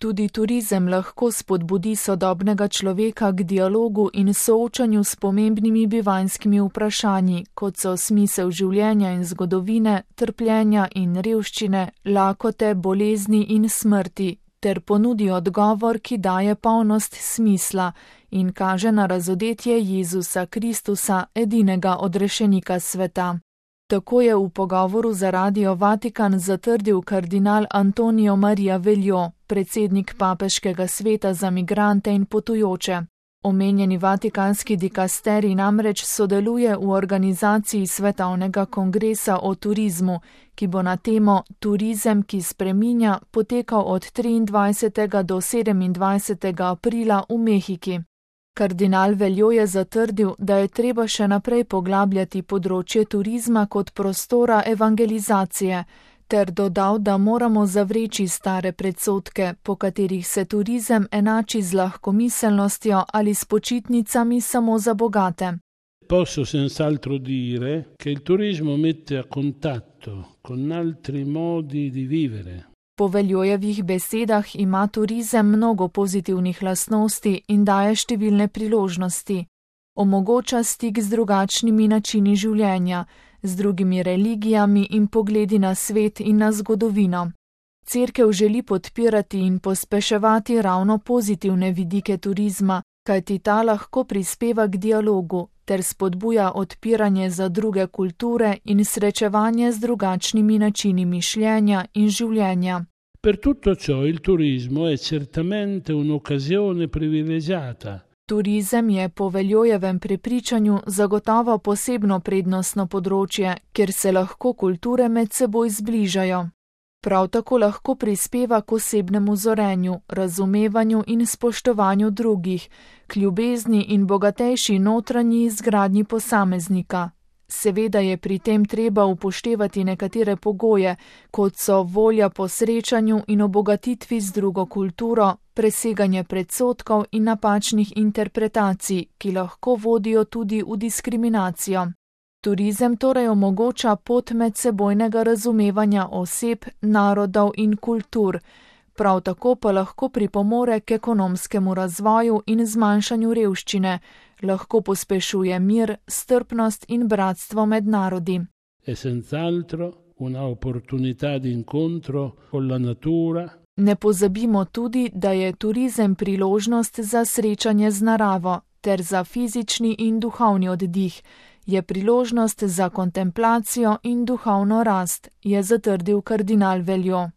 Tudi turizem lahko spodbudi sodobnega človeka k dialogu in soočanju s pomembnimi bivanjskimi vprašanji, kot so smisel življenja in zgodovine, trpljenja in revščine, lakote, bolezni in smrti, ter ponudi odgovor, ki daje polnost smisla in kaže na razodetje Jezusa Kristusa, edinega odrešenika sveta. Tako je v pogovoru za Radio Vatikan zatrdil kardinal Antonio Maria Veljo, predsednik Papeškega sveta za migrante in potujoče. Omenjeni vatikanski dikasterij namreč sodeluje v organizaciji Svetovnega kongresa o turizmu, ki bo na temo Turizem, ki spreminja, potekal od 23. do 27. aprila v Mehiki. Kardinal Veljo je zatrdil, da je treba še naprej poglabljati področje turizma kot prostora evangelizacije, ter dodal, da moramo zavreči stare predsodke, po katerih se turizem enači z lahkomiselnostjo ali s počitnicami samo za bogate. Posso senz'altro dire che il turismo mette a contatto con altri modi di vivere. Po Veljojevih besedah ima turizem mnogo pozitivnih lastnosti in daje številne priložnosti. Omogoča stik z drugačnimi načini življenja, z drugimi religijami in pogledi na svet in na zgodovino. Cerkev želi podpirati in pospeševati ravno pozitivne vidike turizma, kajti ta lahko prispeva k dialogu ter spodbuja odpiranje za druge kulture in srečevanje z drugačnimi načini mišljenja in življenja. Per tutto ciò il turismo è certamente un'occasione privilegiata. Turizem je po Veljojevem prepričanju zagotovo posebno prednostno področje, kjer se lahko kulture med seboj zbližajo. Prav tako lahko prispeva k osebnemu zorenju, razumevanju in spoštovanju drugih, k ljubezni in bogatejši notranji izgradnji posameznika. Seveda je pri tem treba upoštevati nekatere pogoje, kot so volja po srečanju in obogatitvi z drugo kulturo, preseganje predsodkov in napačnih interpretacij, ki lahko vodijo tudi v diskriminacijo. Turizem torej omogoča pot medsebojnega razumevanja oseb, narodov in kultur, prav tako pa lahko pripomore k ekonomskemu razvoju in zmanjšanju revščine, lahko pospešuje mir, strpnost in bratstvo med narodi. È senz'altro una opportunità di incontro con la natura. Ne pozabimo tudi, da je turizem priložnost za srečanje z naravo ter za fizični in duhovni oddih, je priložnost za kontemplacijo in duhovno rast, je zatrdil kardinal Veljo.